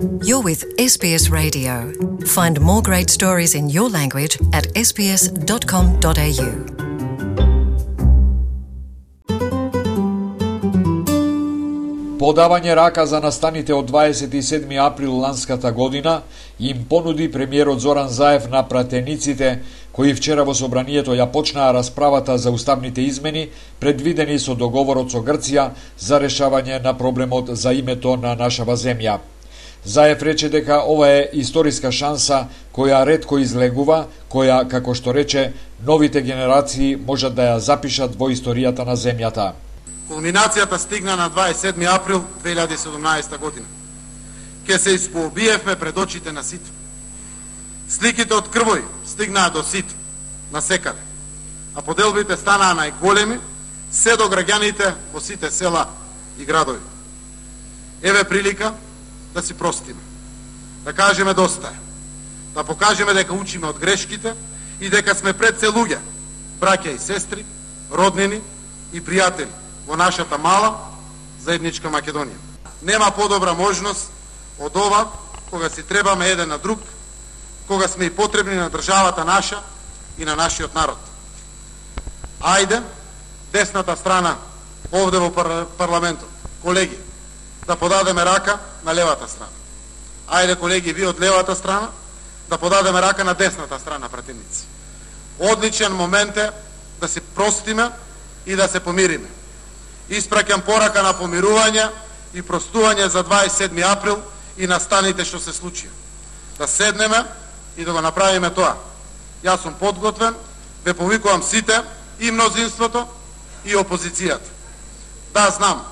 You're with SBS Radio. Find more great stories in your language at sbs.com.au. Подавање рака за настаните од 27 април ланската година им понуди премиерот Зоран Заев на пратениците, кои вчера во собранието ја почнаа расправата за уставните измени, предвидени со договорот со Грција за решавање на проблемот за името на нашава земја. Заев рече дека ова е историска шанса која ретко излегува, која, како што рече, новите генерации можат да ја запишат во историјата на земјата. Кулминацијата стигна на 27 април 2017 година. Ке се испоубиевме пред очите на сите. Сликите од крвој стигнаа до сите, на секаде, а поделбите станаа најголеми, се до граѓаните во сите села и градови. Еве прилика да си простиме, да кажеме доста е, да покажеме дека учиме од грешките и дека сме пред се луѓе, браќа и сестри, роднини и пријатели во нашата мала заедничка Македонија. Нема подобра можност од ова, кога си требаме еден на друг, кога сме и потребни на државата наша и на нашиот народ. Ајде, десната страна, овде во парламентот, колеги, да подадеме рака на левата страна. Ајде, колеги, ви од левата страна, да подадеме рака на десната страна, пратеници. Одличен момент е да се простиме и да се помириме. Испраќам порака на помирување и простување за 27 април и настаните што се случија. Да седнеме и да го направиме тоа. Јас сум подготвен, ве повикувам сите, и мнозинството, и опозицијата. Да, знам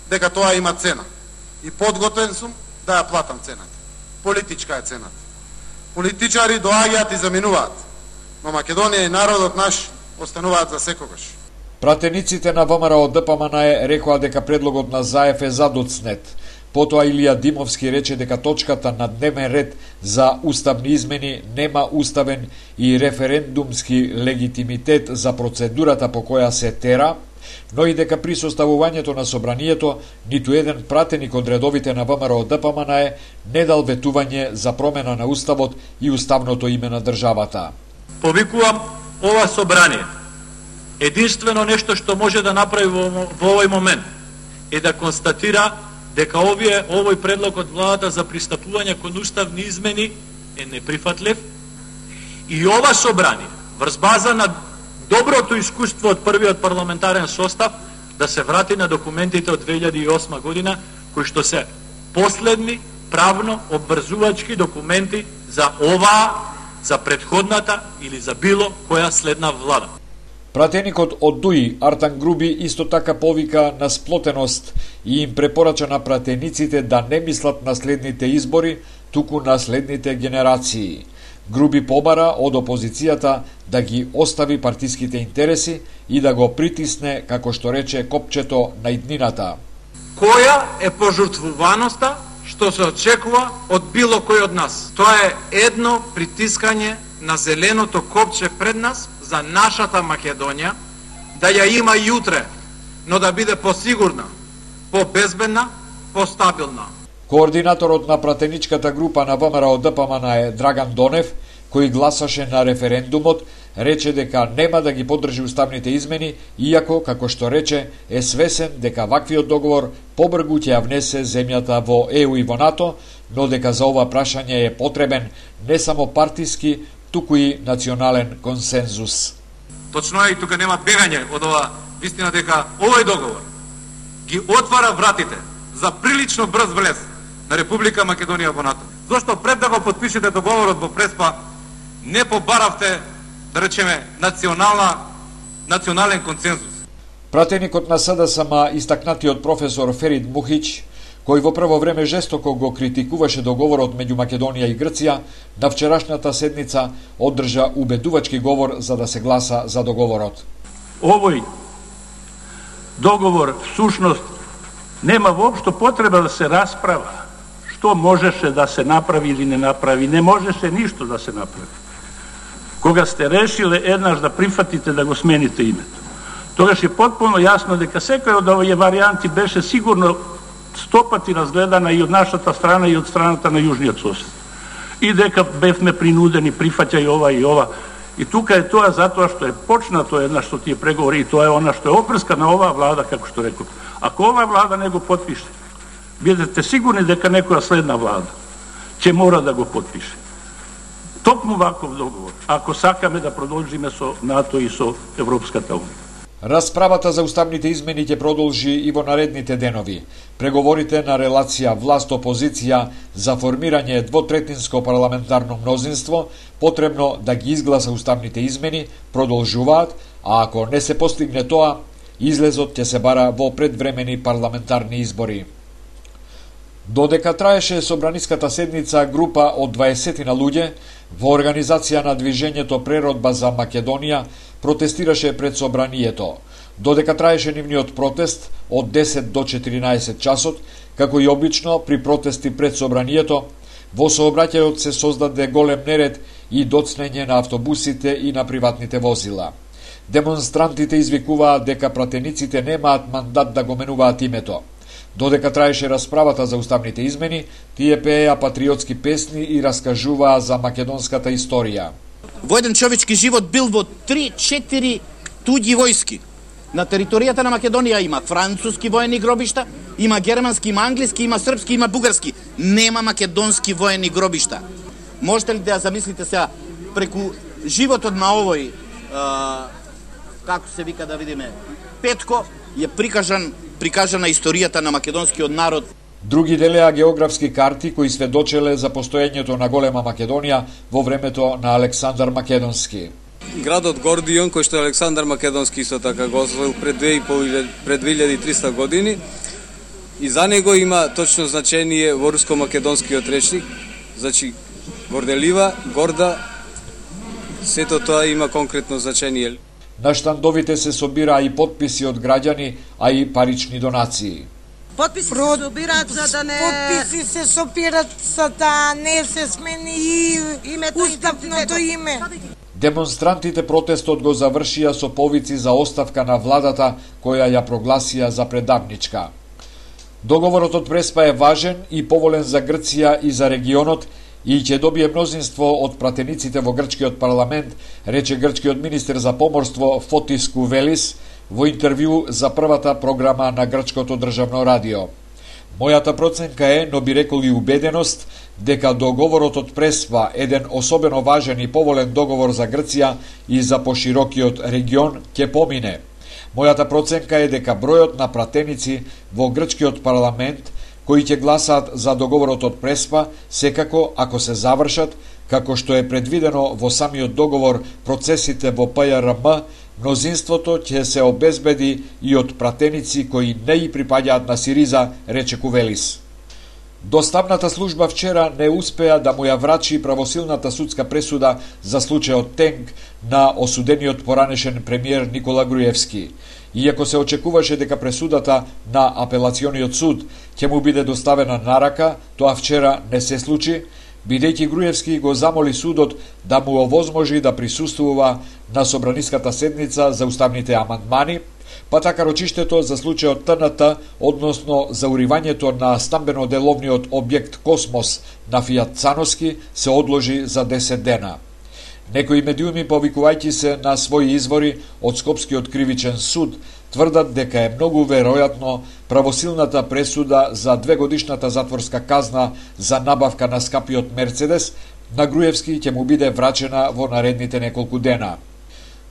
дека тоа има цена. И подготвен сум да ја платам цената. Политичка е цената. Политичари доаѓаат и заминуваат, но Македонија и народот наш остануваат за секогаш. Пратениците на ВМРО ДПМН рекоа дека предлогот на Заев е задоцнет. Потоа Илија Димовски рече дека точката на дневен ред за уставни измени нема уставен и референдумски легитимитет за процедурата по која се тера, но и дека при составувањето на собранието ниту еден пратеник од редовите на ВМРО ДПМН не дал ветување за промена на уставот и уставното име на државата. Повикувам ова собрание. Единствено нешто што може да направи во овој момент е да констатира дека овој предлог од владата за пристапување кон уставни измени е неприфатлив и ова собрание, врз база на доброто искуство од првиот парламентарен состав, да се врати на документите од 2008 година, кои што се последни правно обврзувачки документи за оваа, за претходната или за било која следна влада. Пратеникот од ДУИ Артан Груби исто така повика на сплотеност и им препорача на пратениците да не мислат на следните избори, туку на следните генерации. Груби побара од опозицијата да ги остави партиските интереси и да го притисне, како што рече, копчето на иднината. Која е пожртвуваноста што се очекува од било кој од нас? Тоа е едно притискање на зеленото копче пред нас за нашата Македонија, да ја има и утре, но да биде посигурна, побезбедна, постабилна. Координаторот на пратеничката група на ВМРО ДПМН Драган Донев, кој гласаше на референдумот, рече дека нема да ги поддржи уставните измени, иако, како што рече, е свесен дека ваквиот договор побрзо ќе ја внесе земјата во ЕУ и во НАТО, но дека за ова прашање е потребен не само партиски, туку и национален консензус. Точно е, и тука нема бегање од ова, вистина дека овој договор ги отвара вратите за прилично брз влез на Република Македонија во НАТО. Зошто пред да го потпишете договорот во Преспа не побаравте, да речеме, национален консензус? Пратеникот на СДСМ, истакнатиот професор Ферид Мухич, кој во прво време жестоко го критикуваше договорот меѓу Македонија и Грција, на вчерашната седница одржа убедувачки говор за да се гласа за договорот. Овој договор всушност нема воопшто потреба да се расправа што можеше да се направи или не направи. Не можеше ништо да се направи. Кога сте решиле еднаш да прифатите да го смените името, тогаш е потполно јасно дека секој од овие варијанти беше сигурно стопати разгледана и од нашата страна и од страната на јужниот сосед. И дека бевме принудени, прифаќај ова и ова. И тука е тоа затоа што е почнато една што тие преговори и тоа е она што е опрска на оваа влада, како што реков. Ако оваа влада не го потпише, бидете сигурни дека некоја следна влада ќе мора да го потпише. Токму ваков договор, ако сакаме да продолжиме со НАТО и со Европската унија. Расправата за уставните измени ќе продолжи и во наредните денови. Преговорите на релација власт-опозиција за формирање двотретинско парламентарно мнозинство, потребно да ги изгласа уставните измени, продолжуваат, а ако не се постигне тоа, излезот ќе се бара во предвремени парламентарни избори. Додека траеше собраниската седница, група од 20 на луѓе во организација на движењето Преродба за Македонија протестираше пред собранието. Додека траеше нивниот протест од 10 до 14 часот, како и обично при протести пред собранието, во сообраќајот се создаде голем неред и доцнење на автобусите и на приватните возила. Демонстрантите извикуваат дека пратениците немаат мандат да го менуваат името. Додека траеше расправата за уставните измени, тие пееа патриотски песни и раскажуваа за македонската историја. Во еден човечки живот бил во 3-4 туѓи војски. На територијата на Македонија има француски воени гробишта, има германски, има англиски, има српски, има бугарски. Нема македонски воени гробишта. Можете ли да ја замислите сега преку животот на овој, како се вика да видиме, Петко, е прикажана историјата на македонскиот народ. Други делеа географски карти кои сведочеле за постоењето на голема Македонија во времето на Александар Македонски. Градот Гордион, кој што Александар Македонски исто така го освоил пред 2300 години, и за него има точно значение во руско-македонскиот речник, значи горделива, горда, сето тоа има конкретно значение. На штандовите се собираа и потписи од граѓани, а и парични донации. Потписи се собираат за да не... Потписи се собираат за да не се смени уставното име. Демонстрантите протестот го завршија со повици за оставка на владата која ја прогласија за предавничка. Договорот од Преспа е важен и поволен за Грција и за регионот и ќе добие мнозинство од пратениците во грчкиот парламент, рече грчкиот министер за поморство Фотис Кувелис во интервју за првата програма на грчкото државно радио. Мојата проценка е, но би рекол и убеденост, дека договорот од Преспа, еден особено важен и поволен договор за Грција и за поширокиот регион, ќе помине. Мојата проценка е дека бројот на пратеници во грчкиот парламент кои ќе гласаат за договорот од Преспа, секако, ако се завршат, како што е предвидено во самиот договор процесите во ПЈРМ, мнозинството ќе се обезбеди и од пратеници кои не и припаѓаат на Сириза, рече Кувелис. Доставната служба вчера не успеа да му ја врачи правосилната судска пресуда за случајот Тенк на осудениот поранешен премиер Никола Груевски. Иако се очекуваше дека пресудата на апелациониот суд ќе му биде доставена на рака, тоа вчера не се случи, бидејќи Груевски го замоли судот да му овозможи да присуствува на собраниската седница за уставните амандмани, па така рочиштето за случајот ТНТ, односно за уривањето на стамбено-деловниот објект Космос на Фијат Цановски, се одложи за 10 дена. Некои медиуми, повикувајќи се на своји извори од Скопскиот кривичен суд, тврдат дека е многу веројатно правосилната пресуда за 2-годишната затворска казна за набавка на скапиот Мерцедес на Груевски ќе му биде врачена во наредните неколку дена.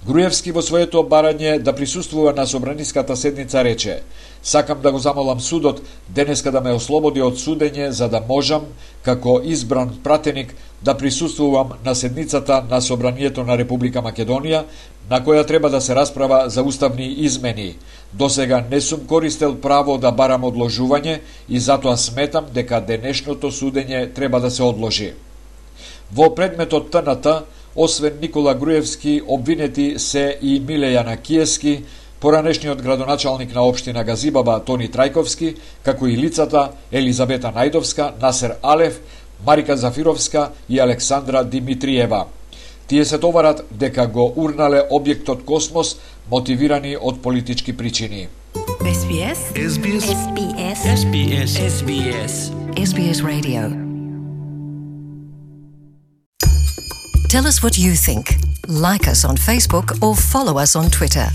Груевски во своето барање да присуствува на собраниската седница рече: "Сакам да го замолам судот денеска да ме ослободи од судење за да можам, како избран пратеник, да присуствувам на седницата на Собранието на Република Македонија, на која треба да се расправа за уставни измени. Досега не сум користел право да барам одложување и затоа сметам дека денешното судење треба да се одложи." Во предметот ТНТ, освен Никола Груевски, обвинети се и Миле Јанакиевски, поранешниот градоначалник на општина Газибаба Тони Трајковски, како и лицата Елизабета Најдовска, Насер Алев, Марика Зафировска и Александра Димитриева. Тие се товарат дека го урнале објектот Космос, мотивирани од политички причини. SBS. SBS. SBS. SBS. SBS. SBS Radio. Tell us what you think. Like us on Facebook or follow us on Twitter.